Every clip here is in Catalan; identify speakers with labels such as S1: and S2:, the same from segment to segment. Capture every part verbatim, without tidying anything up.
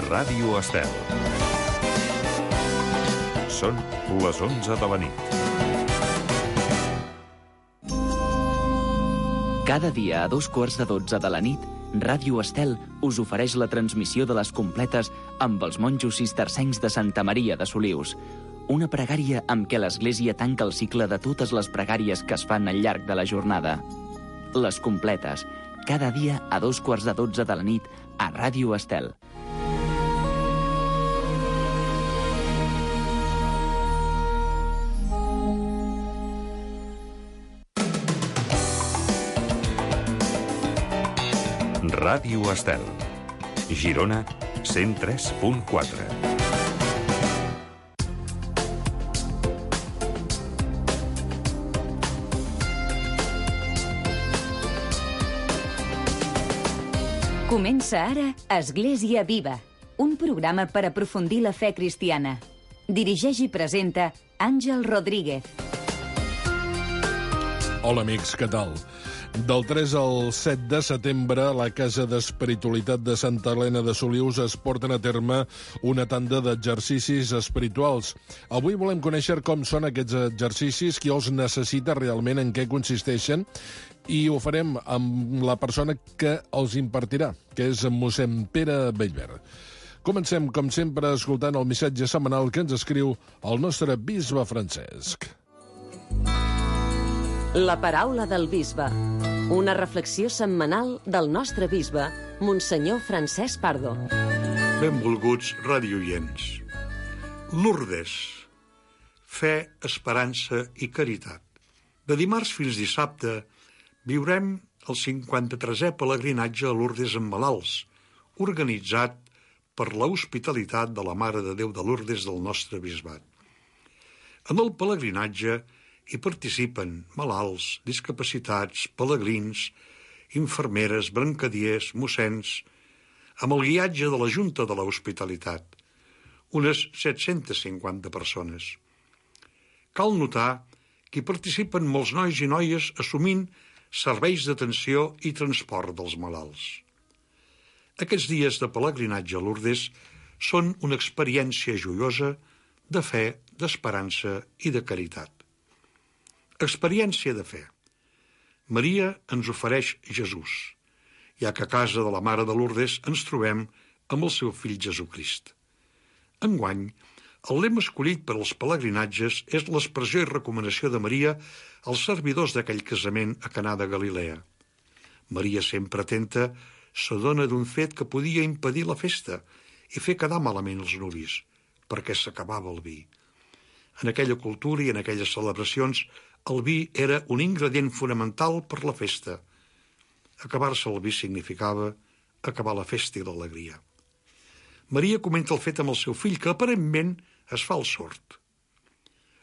S1: Ràdio Estel. Són les onze de la nit.
S2: Cada dia a dos quarts de dotze de la nit, Ràdio Estel us ofereix la transmissió de les completes amb els monjos cistercencs de Santa Maria de Solius. Una pregària amb què l'Església tanca el cicle de totes les pregàries que es fan al llarg de la jornada. Les completes, cada dia a dos quarts de dotze de la nit a Ràdio Estel.
S1: Ràdio Estel. Girona, cent tres punt quatre.
S3: Comença ara Església Viva, un programa per aprofundir la fe cristiana. Dirigeix i presenta Àngel Rodríguez.
S4: Hola, amics, què tal? Del tres al set de setembre, a la Casa d'Espiritualitat de Santa Helena de Solius es porten a terme una tanda d'exercicis espirituals. Avui volem conèixer com són aquests exercicis, qui els necessita realment, en què consisteixen, i ho farem amb la persona que els impartirà, que és mossèn Pere Bellver. Comencem, com sempre, escoltant el missatge setmanal que ens escriu el nostre bisbe Francesc.
S5: La paraula del bisbe. Una reflexió setmanal del nostre bisbe, Monsenyor Francesc Pardo.
S6: Benvolguts radioients. Lourdes. Fe, esperança i caritat. De dimarts fins dissabte viurem el cinquanta-tresè pelegrinatge a Lourdes amb malalts, organitzat per l'hospitalitat de la Mare de Déu de Lourdes del nostre bisbat. En el pelegrinatge hi participen malalts, discapacitats, pelegrins, infermeres, brancadiers, mossens, amb el guiatge de la Junta de l'Hospitalitat, unes set-centes cinquanta persones. Cal notar que hi participen molts nois i noies assumint serveis d'atenció i transport dels malalts. Aquests dies de pelegrinatge a Lourdes són una experiència joiosa de fe, d'esperança i de caritat. Experiència de fe. Maria ens ofereix Jesús, ja que a casa de la Mare de Lourdes ens trobem amb el seu fill Jesucrist. Enguany, el lema escollit per als pelegrinatges és l'expressió i recomanació de Maria als servidors d'aquell casament a Canà de Galilea. Maria, sempre atenta, s'adona d'un fet que podia impedir la festa i fer quedar malament els nuvis, perquè s'acabava el vi. En aquella cultura i en aquelles celebracions, el vi era un ingredient fonamental per la festa. Acabar-se el vi significava acabar la festa i l'alegria. Maria comenta el fet amb el seu fill, que aparentment es fa el sord.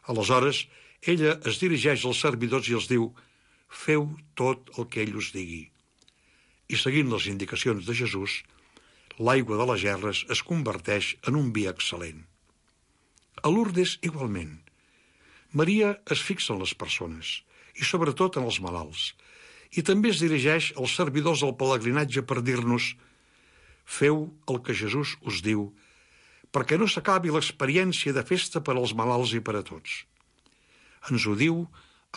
S6: Aleshores, ella es dirigeix als servidors i els diu: «Feu tot el que ell us digui». I seguint les indicacions de Jesús, l'aigua de les gerres es converteix en un vi excel·lent. A Lourdes, igualment, Maria es fixa en les persones, i sobretot en els malalts, i també es dirigeix als servidors del pelegrinatge per dir-nos: «Feu el que Jesús us diu, perquè no s'acabi l'experiència de festa per als malalts i per a tots». Ens ho diu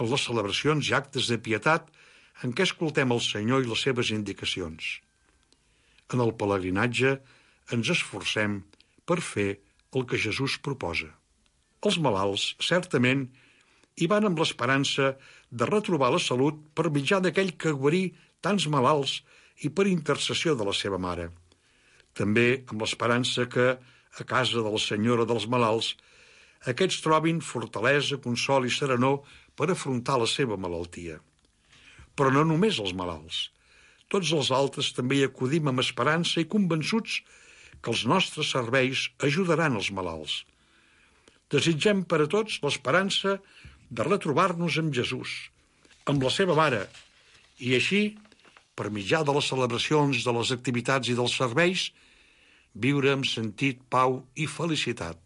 S6: en les celebracions i actes de pietat en què escoltem el Senyor i les seves indicacions. En el pelegrinatge ens esforcem per fer el que Jesús proposa. Els malalts, certament, hi van amb l'esperança de retrobar la salut per mitjà d'aquell que guarí tants malalts i per intercessió de la seva mare. També amb l'esperança que, a casa de la Senyora dels malalts, aquests trobin fortalesa, consol i serenor per afrontar la seva malaltia. Però no només els malalts. Tots els altres també hi acudim amb esperança i convençuts que els nostres serveis ajudaran els malalts. Desitgem per a tots l'esperança de retrobar-nos amb Jesús, amb la seva mare, i així, per mitjà de les celebracions, de les activitats i dels serveis, viure amb sentit, pau i felicitat.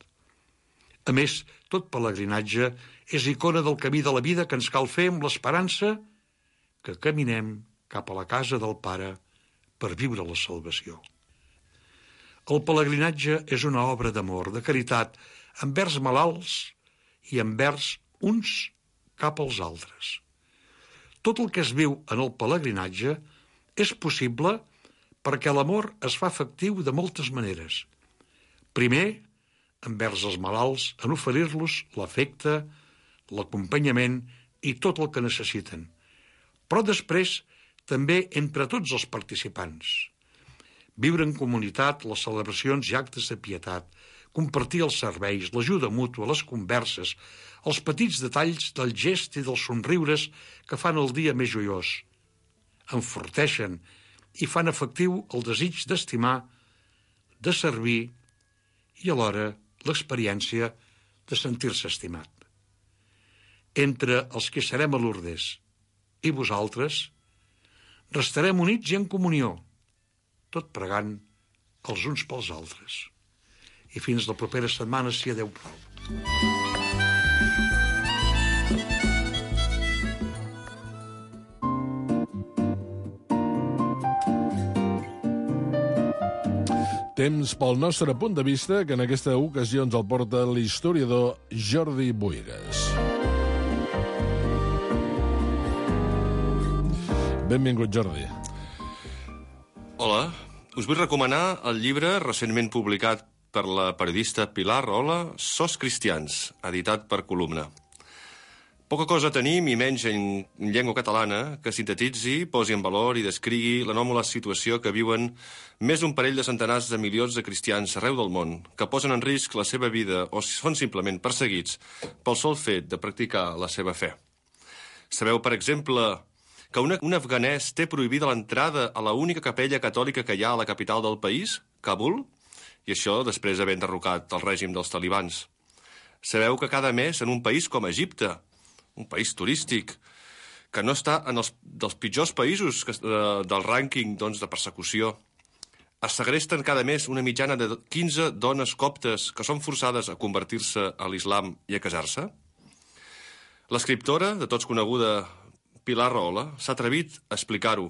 S6: A més, tot pelegrinatge és icona del camí de la vida que ens cal fer amb l'esperança que caminem cap a la casa del Pare per viure la salvació. El pelegrinatge és una obra d'amor, de caritat, envers malalts i envers uns cap als altres. Tot el que es viu en el pelegrinatge és possible perquè l'amor es fa efectiu de moltes maneres. Primer, envers els malalts, en oferir-los l'afecte, l'acompanyament i tot el que necessiten. Però després, també entre tots els participants. Viure en comunitat, les celebracions i actes de pietat, compartir els serveis, l'ajuda mútua, les converses, els petits detalls del gest i dels somriures que fan el dia més joiós. Enforteixen i fan efectiu el desig d'estimar, de servir i alhora l'experiència de sentir-se estimat. Entre els que serem a Lourdes i vosaltres, restarem units i en comunió, tot pregant els uns pels altres. I fins la propera setmana, si adeu prou.
S4: Temps pel nostre punt de vista, que en aquesta ocasió ens el porta l'historiador Jordi Buigas. Benvingut, Jordi.
S7: Hola, us vull recomanar el llibre recentment publicat per la periodista Pilar Rahola, Sos cristians, editat per Columna. Poca cosa tenim, i menys en llengua catalana, que sintetitzi, posi en valor i descrigui l'anòmala situació que viuen més d'un parell de centenars de milions de cristians arreu del món, que posen en risc la seva vida o són simplement perseguits pel sol fet de practicar la seva fe. Sabeu, per exemple, que un, un afganès té prohibida l'entrada a la única capella catòlica que hi ha a la capital del país, Kabul, i això després d'haver enderrocat el règim dels talibans. Sabeu que cada mes en un país com Egipte, un país turístic, que no està en els dels pitjors països que, eh, del rànquing doncs, de persecució, es segresten cada mes una mitjana de quinze dones coptes que són forçades a convertir-se a l'islam i a casar-se? L'escriptora, de tots coneguda, Pilar Rahola, s'ha atrevit a explicar-ho,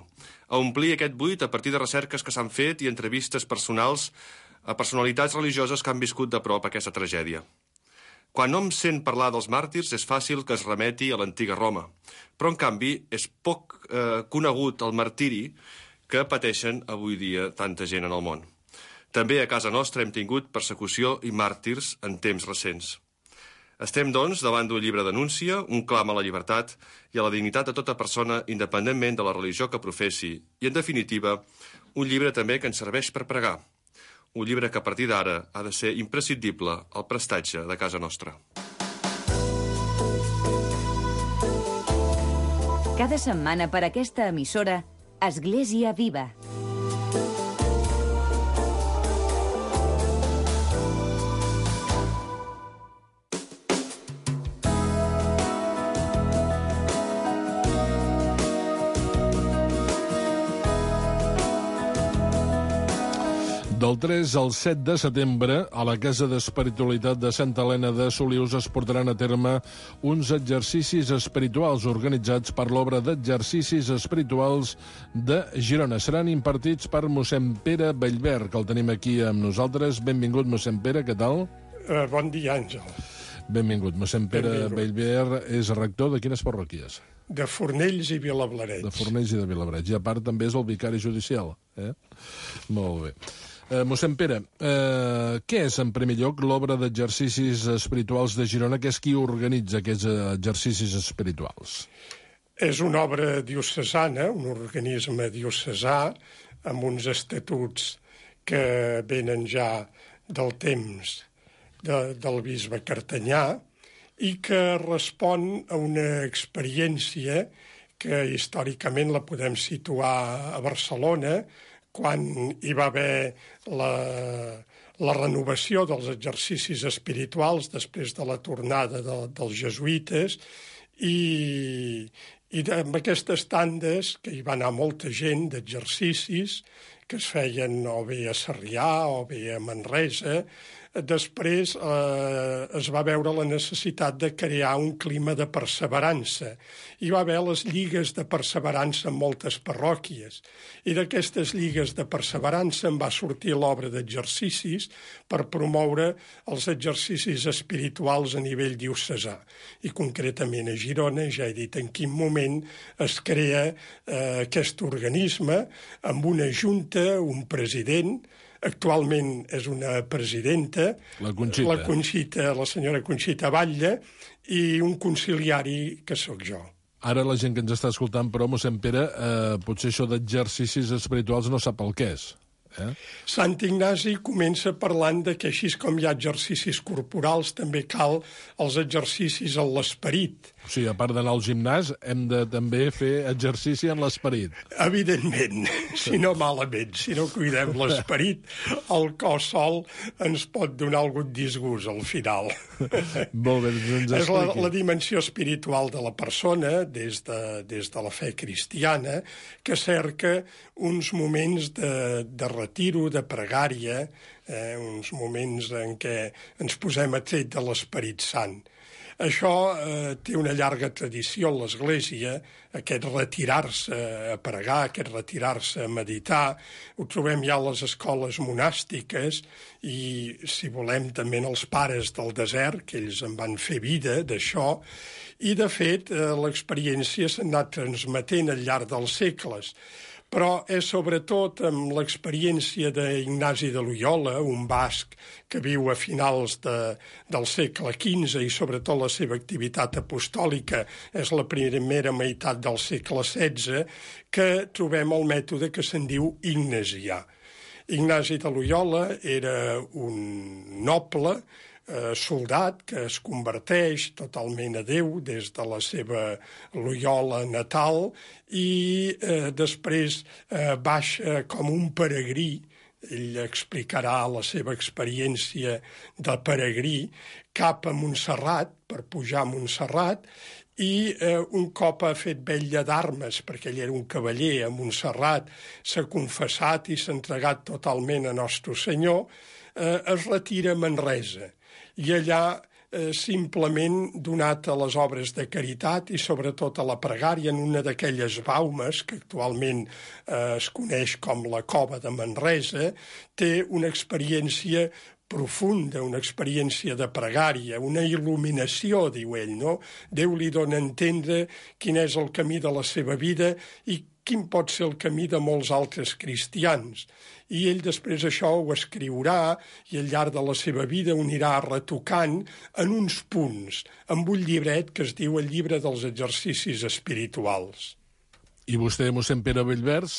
S7: a omplir aquest buit a partir de recerques que s'han fet i entrevistes personals a personalitats religioses que han viscut de prop aquesta tragèdia. Quan hom sent parlar dels màrtirs és fàcil que es remeti a l'antiga Roma, però en canvi és poc eh, conegut el martiri que pateixen avui dia tanta gent en el món. També a casa nostra hem tingut persecució i màrtirs en temps recents. Estem, doncs, davant d'un llibre d'anúncia, un clam a la llibertat i a la dignitat de tota persona independentment de la religió que professi i, en definitiva, un llibre també que ens serveix per pregar. Un llibre que a partir d'ara ha de ser imprescindible al prestatge de casa nostra.
S3: Cada setmana per aquesta emissora, Església Viva.
S4: Del tres al set de setembre, a la Casa d'Espiritualitat de Santa Helena de Solius es portaran a terme uns exercicis espirituals organitzats per l'obra d'exercicis espirituals de Girona. Seran impartits per mossèn Pere Bellver, que el tenim aquí amb nosaltres. Benvingut, mossèn Pere, què tal?
S8: Uh, bon dia, Àngel.
S4: Benvingut. Mossèn Pere Bellver és rector de quines parròquies?
S8: De Fornells i Vilablareix.
S4: De Fornells i de Vilablareix. I a part també és el vicari judicial. Eh? Molt bé. Eh, mossèn Pere, eh, què és, en primer lloc, l'obra d'exercicis espirituals de Girona, que és qui organitza aquests exercicis espirituals?
S8: És una obra diocesana, un organisme diocesà, amb uns estatuts que venen ja del temps de, del bisbe Cartanyà i que respon a una experiència que històricament la podem situar a Barcelona, quan hi va haver la, la renovació dels exercicis espirituals després de la tornada de, dels jesuïtes i, i amb aquestes tandes que hi va anar molta gent d'exercicis que es feien o bé a Sarrià o bé a Manresa, després eh, es va veure la necessitat de crear un clima de perseverança. Hi va haver les lligues de perseverança en moltes parròquies, i d'aquestes lligues de perseverança en va sortir l'obra d'exercicis per promoure els exercicis espirituals a nivell diocesà. I concretament a Girona, ja he dit en quin moment es crea eh, aquest organisme amb una junta, un president, actualment és una presidenta,
S4: la Conxita,
S8: la, Conxita, la senyora Conxita Batlle, i un conciliari que sóc jo.
S4: Ara la gent que ens està escoltant, però, mossèn Pere, eh, potser això d'exercicis espirituals no sap el que és. Eh?
S8: Sant Ignasi comença parlant de que així com hi ha exercicis corporals, també cal els exercicis en l'esperit.
S4: O sigui, a part d'anar al gimnàs, hem de també fer exercici en l'esperit.
S8: Evidentment, si no malament, si no cuidem l'esperit, el cos sol ens pot donar algun disgust al final.
S4: Molt bé, doncs
S8: és la, la dimensió espiritual de la persona, des de, des de la fe cristiana, que cerca uns moments de, de retiro, de pregària, eh, uns moments en què ens posem a tret de l'Esperit Sant. Això eh, té una llarga tradició en l'Església, aquest retirar-se a pregar, aquest retirar-se a meditar. Ho trobem ja a les escoles monàstiques i, si volem, també en els pares del desert, que ells en van fer vida d'això. I, de fet, eh, l'experiència s'ha anat transmetent al llarg dels segles. Però és sobretot amb l'experiència d'Ignasi de Loyola, un basc que viu a finals de, del segle quinze i sobretot la seva activitat apostòlica és la primera meitat del segle setze, que trobem el mètode que se'n diu ignasià. Ignasi de Loyola era un noble, Eh, soldat que es converteix totalment a Déu des de la seva Loyola natal i eh, després eh, baixa com un peregrí. Ell explicarà la seva experiència de peregrí cap a Montserrat, per pujar a Montserrat, i eh, un cop ha fet vetlla d'armes, perquè ell era un cavaller a Montserrat, s'ha confessat i s'ha entregat totalment a Nostre Senyor, eh, es retira a Manresa. I allà, eh, simplement donat a les obres de caritat i sobretot a la pregària en una d'aquelles baumes que actualment eh, es coneix com la Cova de Manresa, té una experiència profunda, una experiència de pregària, una il·luminació, diu ell, no? Déu li dona a entendre quin és el camí de la seva vida i quin pot ser el camí de molts altres cristians. I ell després això ho escriurà i al llarg de la seva vida ho anirà retocant en uns punts, amb un llibret que es diu el Llibre dels Exercicis Espirituals.
S4: I vostè, mossèn Pere Bellvers,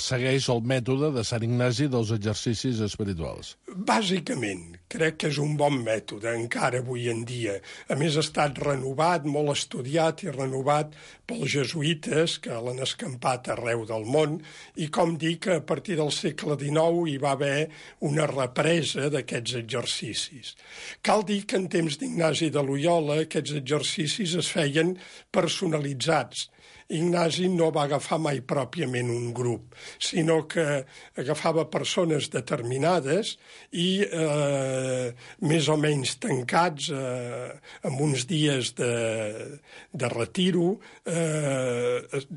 S4: segueix el mètode de Sant Ignasi dels exercicis espirituals?
S8: Bàsicament, crec que és un bon mètode, encara avui en dia. A més, ha estat renovat, molt estudiat i renovat pels jesuïtes, que l'han escampat arreu del món, i com dic, a partir del segle dinou hi va haver una represa d'aquests exercicis. Cal dir que en temps d'Ignasi de Loyola aquests exercicis es feien personalitzats. Ignasi no va agafar mai pròpiament un grup, sinó que agafava persones determinades i eh, més o menys tancats eh, amb uns dies de, de retiro eh, es,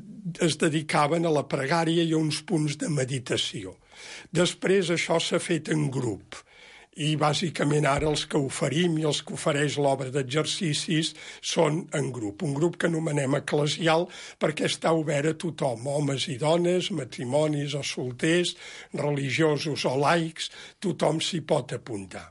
S8: es dedicaven a la pregària i a uns punts de meditació. Després això s'ha fet en grup. I bàsicament ara els que oferim i els que ofereix l'obra d'exercicis són en grup. Un grup que anomenem eclesial perquè està obert a tothom, homes i dones, matrimonis o solters, religiosos o laics, tothom s'hi pot apuntar.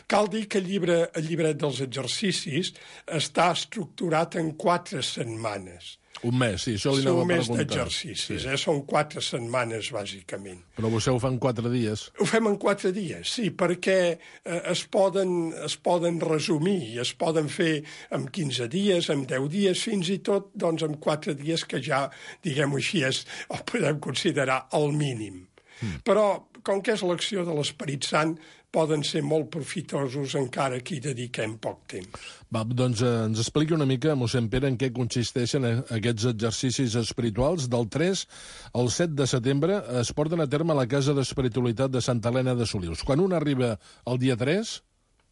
S8: Cal dir que el llibre, el llibret dels exercicis està estructurat en quatre setmanes.
S4: Un mes, sí, això li anava a preguntar.
S8: Un mes d'exercicis, sí. eh? Són quatre setmanes, bàsicament.
S4: Però vostè ho fa en quatre dies?
S8: Ho fem en quatre dies, sí, perquè eh, es, poden, es poden resumir i es poden fer en quinze dies, en deu dies, fins i tot doncs, en quatre dies, que ja, diguem-ho així, és, el podem considerar el mínim. Mm. Però com que és l'acció de l'Esperit Sant, poden ser molt profitosos encara que hi dediquem poc temps.
S4: Va, doncs eh, ens expliqui una mica, mossèn Pere, en què consisteixen aquests exercicis espirituals. Del tres al set de setembre es porten a terme a la Casa d'Espiritualitat de Santa Helena de Solius. Quan un arriba el dia tres,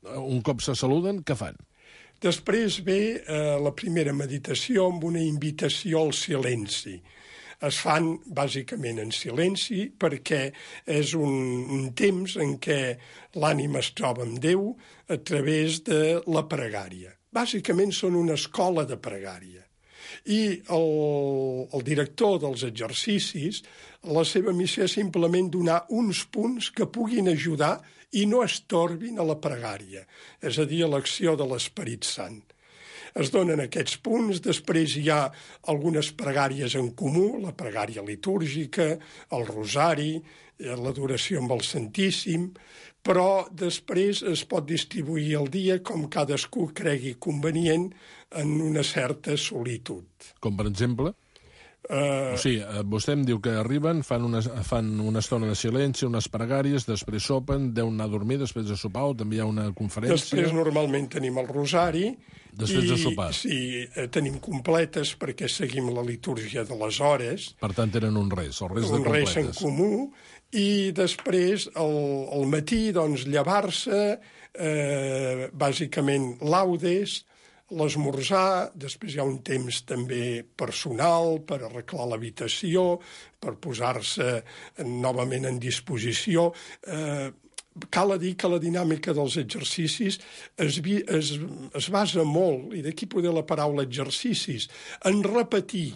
S4: un cop se saluden, què fan?
S8: Després ve eh, la primera meditació amb una invitació al silenci. Es fan bàsicament en silenci perquè és un, un temps en què l'ànima es troba amb Déu a través de la pregària. Bàsicament són una escola de pregària. I el, el director dels exercicis, la seva missió és simplement donar uns punts que puguin ajudar i no estorbin a la pregària, és a dir, a l'acció de l'Esperit Sant. Es donen aquests punts, després hi ha algunes pregàries en comú, la pregària litúrgica, el rosari, l'adoració amb el Santíssim, però després es pot distribuir el dia com cadascú cregui convenient en una certa solitud.
S4: Com per exemple? Uh... O sigui, vostè em diu que arriben, fan una, fan una estona de silenci, unes pregàries, després sopen, deuen anar a dormir, després de sopar, o també hi ha una conferència...
S8: Després normalment tenim el rosari...
S4: Després
S8: i,
S4: de sopar.
S8: Sí, tenim completes perquè seguim la litúrgia de les hores.
S4: Per tant, tenen un res, el res de
S8: un
S4: completes.
S8: Un res en comú, i després, al, al matí, doncs, llevar-se, eh, bàsicament laudes, l'esmorzar, després hi ha un temps també personal per arreglar l'habitació, per posar-se novament en disposició. Eh, cal dir que la dinàmica dels exercicis es, es, es basa molt, i d'aquí poder la paraula exercicis, en repetir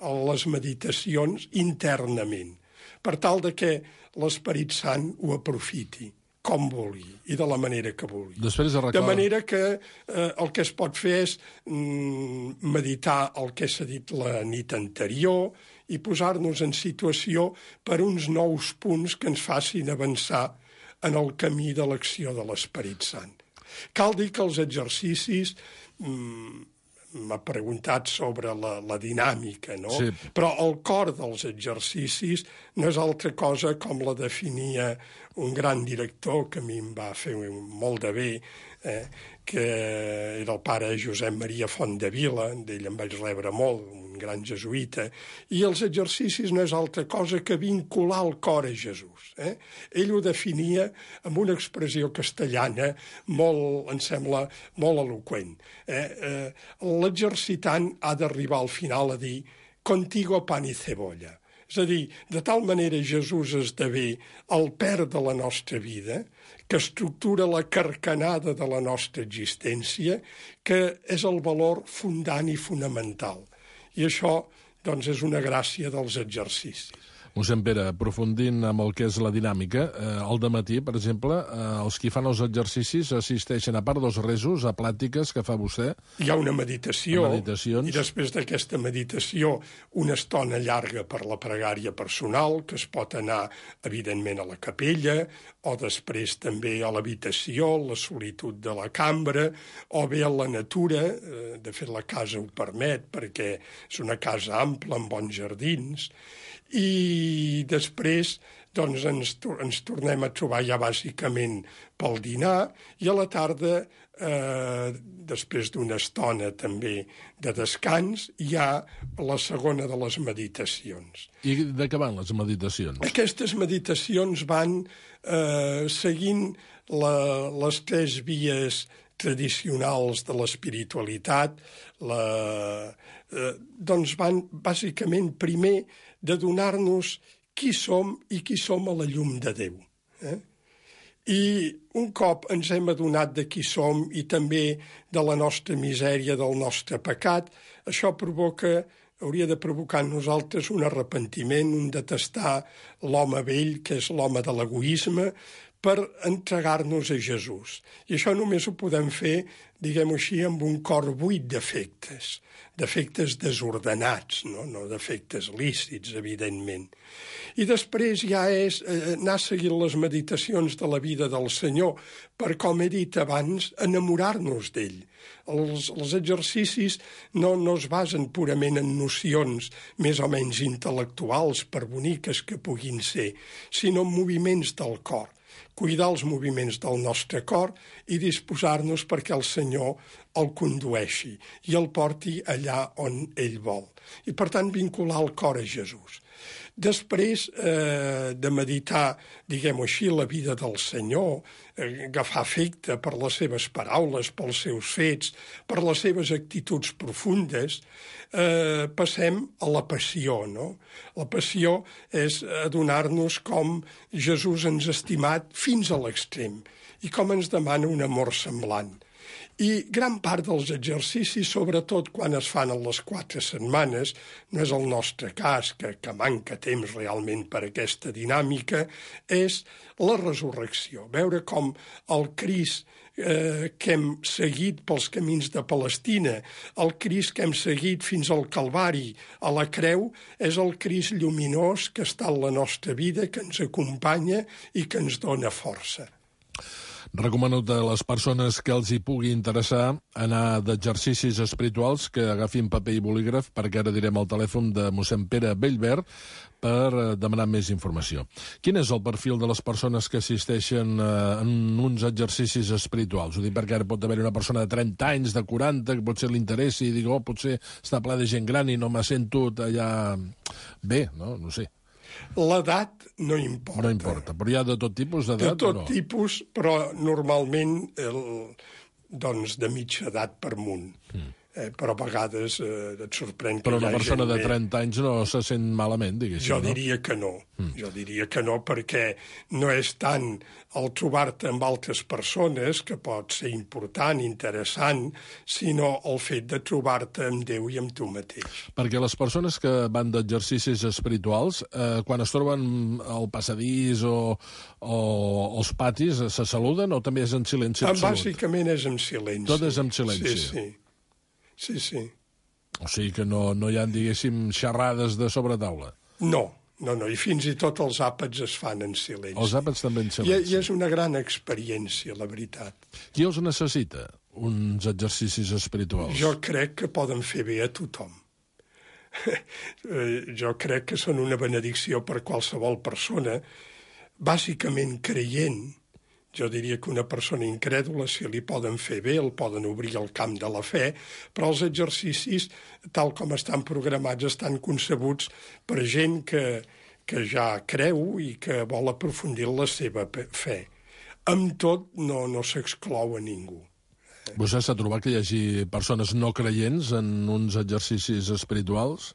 S8: les meditacions internament, per tal de que l'Esperit Sant ho aprofiti com vulgui i de la manera que vulgui.
S4: Després arreglar...
S8: De manera que eh, el que es pot fer és mm, meditar el que s'ha dit la nit anterior i posar-nos en situació per uns nous punts que ens facin avançar en el camí de l'acció de l'Esperit Sant. Cal dir que els exercicis... Mm, m'ha preguntat sobre la, la dinàmica, no?
S4: Sí.
S8: Però el cor dels exercicis no és altra cosa com la definia un gran director que a mi em va fer molt de bé, eh, que era el pare Josep Maria Fontdevila, d'ell em vaig rebre molt, un gran jesuïta, i els exercicis no és altra cosa que vincular el cor a Jesús. Eh? Ell ho definia amb una expressió castellana molt, em sembla, molt eloqüent. Eh? Eh, l'exercitant ha d'arribar al final a dir «contigo pan y cebolla». És a dir, de tal manera Jesús esdevé el perd de la nostra vida, que estructura la carcanada de la nostra existència, que és el valor fundant i fonamental. I això, doncs, és una gràcia dels exercicis.
S4: Mossèn Pere, aprofundint amb el que és la dinàmica, eh, al dematí, per exemple, eh, els qui fan els exercicis assisteixen, a part dels resos, a plàtiques que fa vostè.
S8: Hi ha una meditació,
S4: meditacions.
S8: I després d'aquesta meditació una estona llarga per la pregària personal, que es pot anar, evidentment, a la capella, o després també a l'habitació, la solitud de la cambra, o bé a la natura, eh, de fet la casa ho permet, perquè és una casa ampla, amb bons jardins, i després doncs, ens, ens tornem a trobar ja bàsicament pel dinar, i a la tarda, eh, després d'una estona també de descans, hi ha la segona de les meditacions.
S4: I de què van les meditacions?
S8: Aquestes meditacions van eh, seguint la, les tres vies tradicionals de l'espiritualitat, la, eh, doncs van bàsicament primer de donar-nos qui som i qui som a la llum de Déu. Eh? I un cop ens hem adonat de qui som i també de la nostra misèria, del nostre pecat, això provoca, hauria de provocar en nosaltres un arrepentiment, un detestar l'home vell, que és l'home de l'egoisme, per entregar-nos a Jesús. I això només ho podem fer, diguem-ho així, amb un cor buit d'efectes, d'efectes desordenats, no, no d'efectes lícits, evidentment. I després ja és eh, anar seguint les meditacions de la vida del Senyor per, com he dit abans, enamorar-nos d'ell. Els, els exercicis no, no es basen purament en nocions més o menys intel·lectuals, per boniques que puguin ser, sinó en moviments del cor. Cuidar els moviments del nostre cor i disposar-nos perquè el Senyor el condueixi i el porti allà on ell vol. I, per tant, vincular el cor a Jesús. Després eh, de meditar, diguem-ho així, la vida del Senyor, eh, agafar afecte per les seves paraules, pels seus fets, per les seves actituds profundes, eh, passem a la passió, no? La passió és adonar-nos com Jesús ens ha estimat fins a l'extrem i com ens demana un amor semblant. I gran part dels exercicis, sobretot quan es fan en les quatre setmanes, no és el nostre cas, que, que manca temps realment per aquesta dinàmica, és la resurrecció. Veure com el Crist eh, que hem seguit pels camins de Palestina, el Crist que hem seguit fins al Calvari, a la creu, és el Crist lluminós que està en la nostra vida, que ens acompanya i que ens dona força.
S4: Recomano a les persones que els hi pugui interessar anar d'exercicis espirituals que agafin paper i bolígraf, perquè ara direm el telèfon de mossèn Pere Bellvert per demanar més informació. Quin és el perfil de les persones que assisteixen en uns exercicis espirituals? Ho dic perquè ara pot haver una persona de trenta anys, de quaranta, que potser li interessi i digui, oh, potser està ple de gent gran i no m'ha sentut allà bé, no? No sé.
S8: L'edat no importa.
S4: No importa, però hi ha de tot tipus d'edat?
S8: De tot
S4: no?
S8: tipus, però normalment el, doncs de mitja edat per amunt. Mm. Eh, però a vegades eh, et sorprèn que
S4: però
S8: hi ha gent...
S4: Però una persona de trenta anys no se sent malament, diguéssim,
S8: jo
S4: no?
S8: diria que no. Mm. Jo diria que no, perquè no és tant el trobar-te amb altres persones, que pot ser important, interessant, sinó el fet de trobar-te amb Déu i amb tu mateix.
S4: Perquè les persones que van d'exercicis espirituals, eh, quan es troben al passadís o, o als patis, se saluden o també és en silenci absolut?
S8: Bàsicament és en silenci.
S4: Tot és en silenci?
S8: Sí, sí. Sí, sí.
S4: O sigui que no, no hi ha, diguéssim, xerrades de sobretaula?
S8: No, no, no, i fins i tot els àpats es fan en silenci.
S4: Els àpats també en silenci.
S8: I, I és una gran experiència, la veritat.
S4: Qui els necessita, uns exercicis espirituals?
S8: Jo crec que poden fer bé a tothom. Jo crec que són una benedicció per qualsevol persona, bàsicament creient. Jo diria que una persona incrèdula, si li poden fer bé, el poden obrir al camp de la fe, però els exercicis, tal com estan programats, estan concebuts per gent que, que ja creu i que vol aprofundir la seva fe. Amb tot, no, no s'exclou a ningú.
S4: Vostè s'ha trobat que hi hagi persones no creients en uns exercicis espirituals?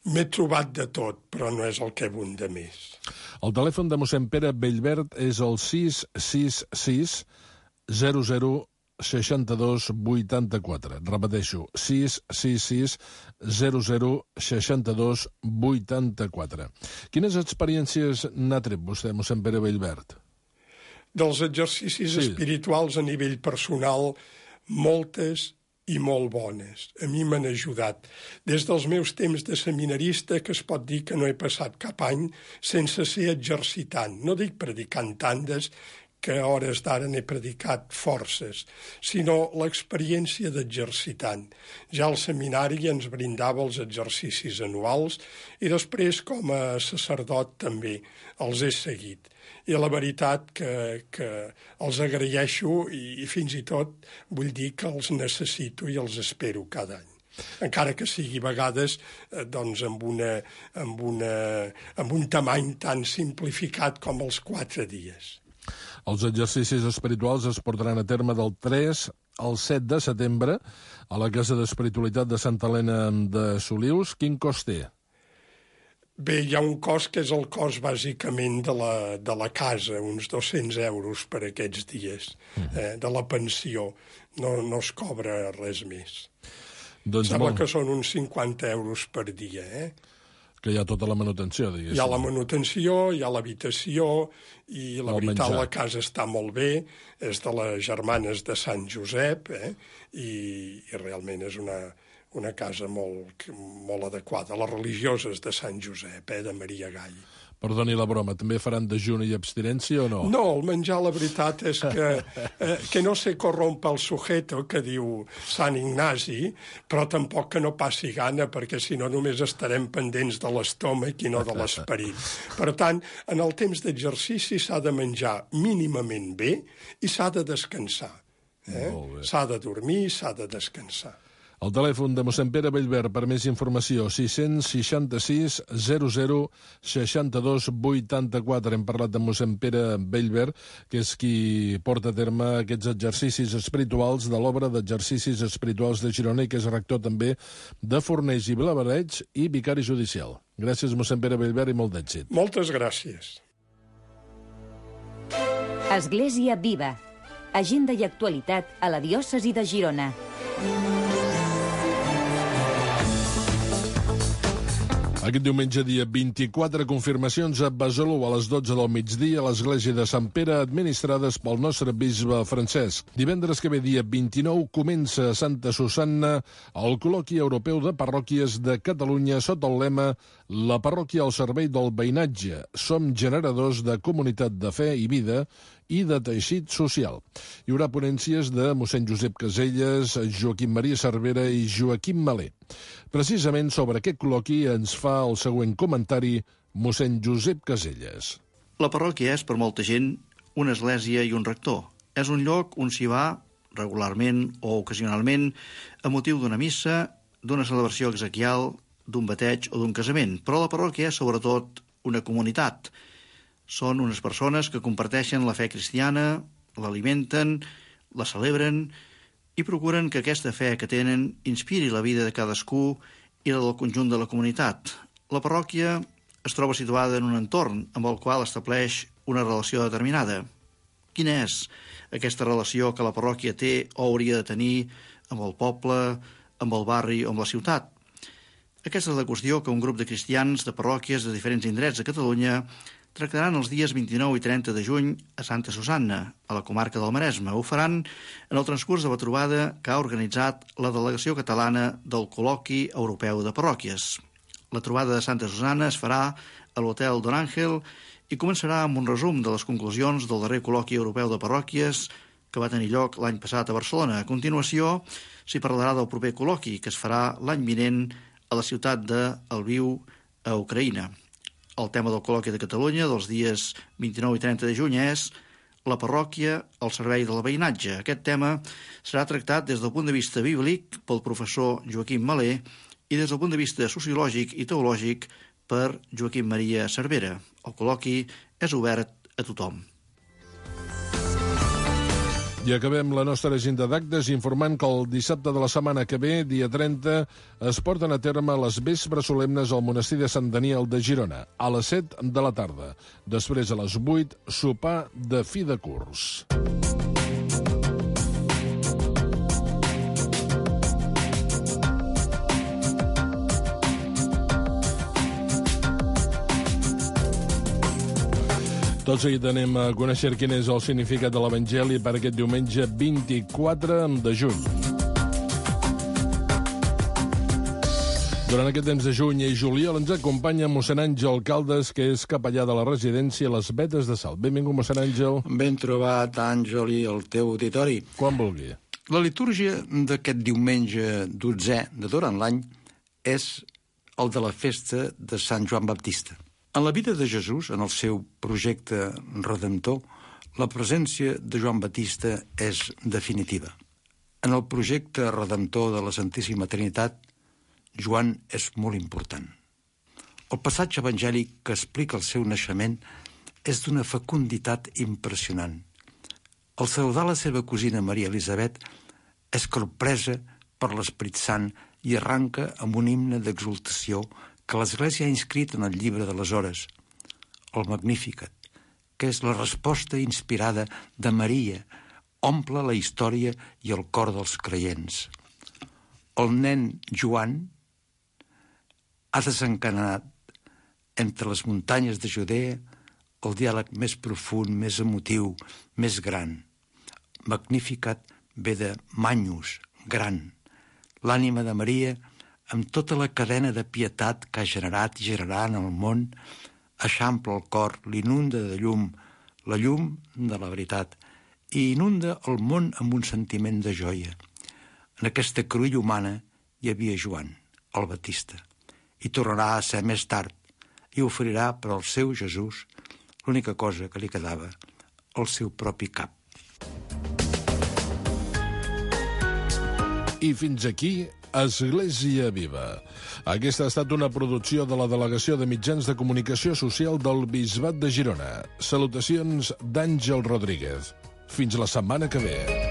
S8: M'he trobat de tot, però no és el que abunda més.
S4: El telèfon de mossèn Pere Bellvert és el sis sis sis zero zero sis dos vuit quatre. Repeteixo, sis sis sis zero zero sis dos vuit quatre. Quines experiències n'ha tret vostè, mossèn Pere Bellvert?
S8: Dels exercicis
S4: sí.
S8: espirituals a nivell personal, moltes i molt bones. A mi m'han ajudat. Des dels meus temps de seminarista, que es pot dir que no he passat cap any sense ser exercitant. No dic predicant tandes, que a hores d'ara n'he predicat forces, sinó l'experiència d'exercitant. Ja el seminari ens brindava els exercicis anuals i després, com a sacerdot, també els he seguit. I la veritat que, que els agraeixo i, i fins i tot vull dir que els necessito i els espero cada any. Encara que sigui a vegades eh, doncs amb, una, amb, una, amb un tamany tan simplificat com els quatre dies.
S4: Els exercicis espirituals es portaran a terme del tres al set de setembre a la Casa d'Espiritualitat de Santa Helena de Solius. Quin cost té?
S8: Bé, hi ha un cost que és el cost bàsicament de la, de la casa, uns dos-cents euros per aquests dies, eh, de la pensió. No, no es cobra res més.
S4: Doncs
S8: Sembla
S4: molt...
S8: que són uns cinquanta euros per dia, eh?
S4: Que hi ha tota la manutenció, diguéssim.
S8: Hi ha la manutenció, hi ha l'habitació, i la
S4: El
S8: veritat,
S4: menjar.
S8: la casa està molt bé, és de les germanes de Sant Josep, eh? I, i realment és una, una casa molt, molt adequada. Les religioses de Sant Josep, eh? De Maria Gai.
S4: Perdoni la broma, també faran dejuni i abstinència o no?
S8: No, el menjar, la veritat és que, eh, que no se corrompa el sujeto, que diu Sant Ignasi, però tampoc que no passi gana, perquè si no només estarem pendents de l'estómac i no de l'esperit. Per tant, en el temps d'exercici s'ha de menjar mínimament bé i s'ha de descansar. Eh? S'ha de dormir, s'ha de descansar.
S4: El telèfon de mossèn Pere Bellver per més informació, sis sis sis zero zero seixanta-dos vuitanta-quatre. Hem parlat de mossèn Pere Bellver, que és qui porta a terme aquests exercicis espirituals de l'obra d'exercicis espirituals de Girona i que és rector també de Fornells i Blavareig i vicari judicial. Gràcies, mossèn Pere Bellver, i molt d'èxit.
S8: Moltes gràcies.
S3: Església Viva. Agenda i actualitat a la diòcesi de Girona.
S4: Aquest diumenge, dia vint-i-quatre, confirmacions a Besalú a les dotze del migdia a l'església de Sant Pere, administrades pel nostre bisbe Francesc. Divendres que ve, dia vint-i-nou, comença a Santa Susanna el col·loqui europeu de parròquies de Catalunya sota el lema La parròquia al servei del veïnatge. Som generadors de comunitat de fe i vida i de teixit social. Hi haurà ponències de mossèn Josep Caselles, Joaquim Maria Cervera i Joaquim Malé. Precisament sobre aquest col·loqui ens fa el següent comentari mossèn Josep Caselles.
S9: La parròquia és, per molta gent, una església i un rector. És un lloc on s'hi va, regularment o ocasionalment, a motiu d'una missa, d'una celebració exequial, d'un bateig o d'un casament. Però la parròquia és, sobretot, una comunitat. Són unes persones que comparteixen la fe cristiana, l'alimenten, la celebren i procuren que aquesta fe que tenen inspiri la vida de cadascú i la del conjunt de la comunitat. La parròquia es troba situada en un entorn amb el qual estableix una relació determinada. Quina és aquesta relació que la parròquia té o hauria de tenir amb el poble, amb el barri o amb la ciutat? Aquesta és la qüestió que un grup de cristians de parròquies de diferents indrets de Catalunya tractaran els dies vint-i-nou i trenta de juny a Santa Susanna, a la comarca del Maresme. Ho faran en el transcurs de la trobada que ha organitzat la delegació catalana del Col·loqui Europeu de Parròquies. La trobada de Santa Susanna es farà a l'Hotel Don Ángel i començarà amb un resum de les conclusions del darrer Col·loqui Europeu de Parròquies que va tenir lloc l'any passat a Barcelona. A continuació, s'hi parlarà del proper col·loqui, que es farà l'any vinent a la ciutat de Lviv, a Ucraïna. El tema del col·loqui de Catalunya dels dies vint-i-nou i trenta de juny és la parròquia al servei del veïnatge. Aquest tema serà tractat des del punt de vista bíblic pel professor Joaquim Malé i des del punt de vista sociològic i teològic per Joaquim Maria Cervera. El col·loqui és obert a tothom.
S4: I acabem la nostra agenda d'actes informant que el dissabte de la setmana que ve, dia trenta, es porten a terme les vespres solemnes al monestir de Sant Daniel de Girona, a les set de la tarda. Després, a les vuit, sopar de fi de curs. Tot seguit anem a conèixer quin és el significat de l'Evangeli per aquest diumenge vint-i-quatre de juny. Durant aquest temps de juny i juliol ens acompanya mossèn Àngel Caldes, que és capellà de la residència Les Vetes de Salt. Benvingut, mossèn Àngel.
S10: Ben trobat, Àngel, i el teu auditori.
S4: Quan vulgui.
S10: La litúrgia d'aquest diumenge dotzè de durant l'any és el de la festa de Sant Joan Baptista. En la vida de Jesús, en el seu projecte redemptor, la presència de Joan Baptista és definitiva. En el projecte redemptor de la Santíssima Trinitat, Joan és molt important. El passatge evangèlic que explica el seu naixement és d'una fecunditat impressionant. Al saludar la seva cosina Maria Elisabet, és corpresa per l'Esperit Sant i arranca amb un himne d'exultació que l'Església ha inscrit en el llibre de les hores, el Magnificat, que és la resposta inspirada de Maria, omple la història i el cor dels creients. El nen Joan ha desencadenat entre les muntanyes de Judea, el diàleg més profund, més emotiu, més gran. Magnificat ve de Magnus, gran. L'ànima de Maria, amb tota la cadena de pietat que ha generat i generarà en el món, eixampla el cor, l'inunda de llum, la llum de la veritat, i inunda el món amb un sentiment de joia. En aquesta cruïlla humana hi havia Joan, el Batista, i tornarà a ser més tard, i oferirà per al seu Jesús l'única cosa que li quedava, el seu propi cap.
S4: I fins aquí, Església Viva. Aquesta ha estat una producció de la Delegació de Mitjans de Comunicació Social del Bisbat de Girona. Salutacions d'Àngel Rodríguez. Fins la setmana que ve.